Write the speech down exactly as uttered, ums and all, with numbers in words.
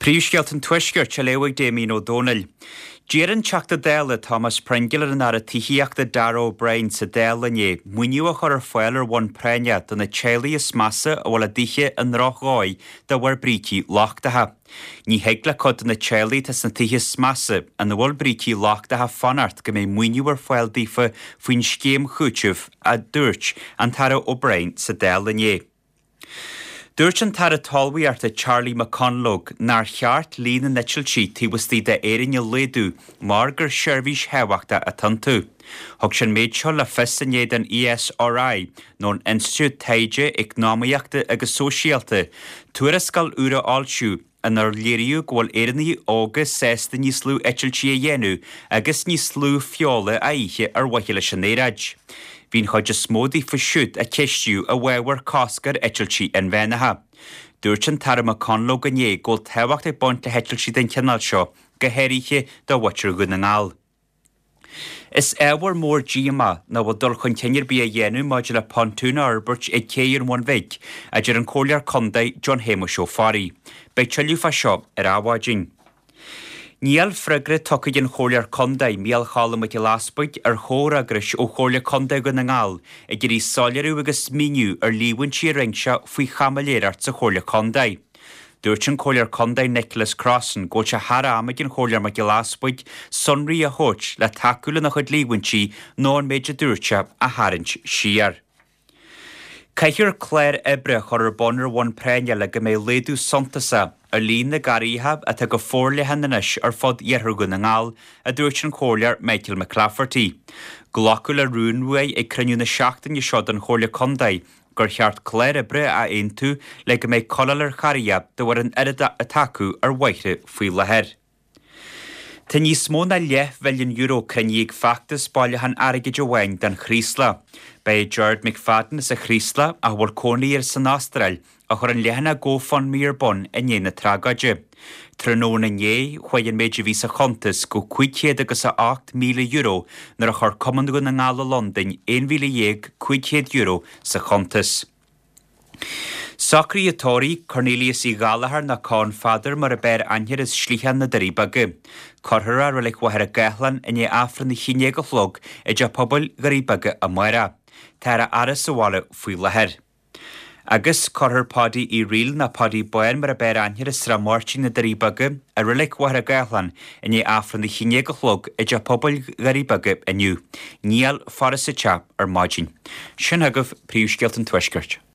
Príomhscéalta an Tuaiscirt á léamh ag Damien Ó Dónaill. D'iarr an Teachta Dála Thomas Pringle ar an Aire Tithíochta Darragh O'Brien sa Dáil inné maoiniú a chur ar fáil ar bhonn práinne do na teaghlaigh is measa a bhfuil a dtithe i ndrochdhóigh de bharr brící lochtacha. Ní thig le cuid de na teaghlaigh atá sna tithe is measa ina bhfuil brící lochtacha fanacht go mbeidh maoiniú ar fáil daofa faoin scéim chúitimh, a dúirt an tAire O'Brien sa Dáil inné. Dúirt an tAire Talmhaíochta Charlie McConalogue nár cheart líon na n-eitiltí taobh istigh d'Éirinn a laghdú mar gur seirbhís thábhachtach atá iontu. Thug sé an méid seo le fios inné don ESRI, nó an Institiúid Taighde Eacnamaíochta agus Sóisialta, tuarascáil úr a fhoilsiú inar léiríodh go bhfuil Éireannaigh óga sásta níos lú eitiltí a dhéanamh agus níos lú feola a ithe ar mhaithe leis an aeráid. Bhí an chuid is mó díofa siúd a ceistíodh i bhfabhar cosc ar eitiltí inmheánacha. Dúirt an tAire McConalogue inné go bhfuil tábhacht ag baint le heitiltí den chineál seo, go háirithe do mhuintir Dhún na nGall. Is ábhar mór díomá nach bhfuil dul chun cinn ar bith á dhéanamh maidir le pontún a fhorbairt ag Cé an Bhun Bhig, a deir an Comhairleoir Contae John Shéamuis Ó Fearraigh. Beidh tuilleadh fá seo ar Adhmhaidin. Níl freagra tugtha ag an Chomhairleoir Contae Micheál Choilm Mac Giolla Easbuig ar chomhfhreagrais ó Chomhairle Contae Dhún na nGall ag iarraidh soiléiriú agus míniú ar líomhaintí a rinne sé faoi chaimiléireacht sa Chomhairle Contae. Dúirt an Comhairleoir Contae Nicholas Crossan go bhfuil sé thar am ag an Chomhairleoir Mac Giolla Easbuig sonraí a thabhairt le tacú lena chuid líomhaintí nó an méid a dúirt sé a tharraingt siar. Caithfear clár oibre a chur ar bun ar bhonn práinne le go mbeidh laghdú suntasach ar líon na gcarraigheacha atá go forleathan anois ar fud iarthar Dhún na nGall, a dúirt an Comhairleoir Michael McClafferty. Glacadh le rún uaidh ag cruinniú na seachtaine seo den Chomhairle Contae gur cheart clár oibre a aontú le go mbeidh codladh ar charraighe de bharr an oiread atá acu ar bhóithre faoi láthair. Tá níos mó ná leathmhilliún euro cruinnithe ag feachtas bailiúchán airgid amháin don Chraoslach. Ba é Gerard McFadden as an Chraoslach, a bhfuil cónaí air san Astráil, a chuir an leathanach GoFundMe ar bun i ndiaidh na tragóide. Tráthnóna inné, chuaigh an méid a bhí sa chuntas go cúig chéad agus a ocht míle euro nuair a chuir Cumann Dhún na nGall i Londain aon mhíle dhéag cúig chéad euro sa chuntas. Socruithe tórraimh Cornelius Uí Ghallchóir nó Con Pheadair mar ab fhearr aithne air as Sligheán na Doirí Beaga. Cuirfear é i Reilig Mhachaire Gathlán i ndiaidh Aifreann a haon déag a chlog i dTeach Pobail Dhoirí Beaga amárach. Táthar á fhaire sa bhaile faoi láthair. Agus cuirfear Paddy Uí Fhrighil nó Paddy Bán mar ab fhearr aithne air as Srath Máirtín na Doirí Beaga i Reilig Mhachaire Gathlán i ndiaidh Aifreann a haon déag a chlog i dTeach Pobail Dhoirí Beaga inniu. Níl faire sa teach ar maidin. Sin agaibh príomhscéalta an Tuaiscirt.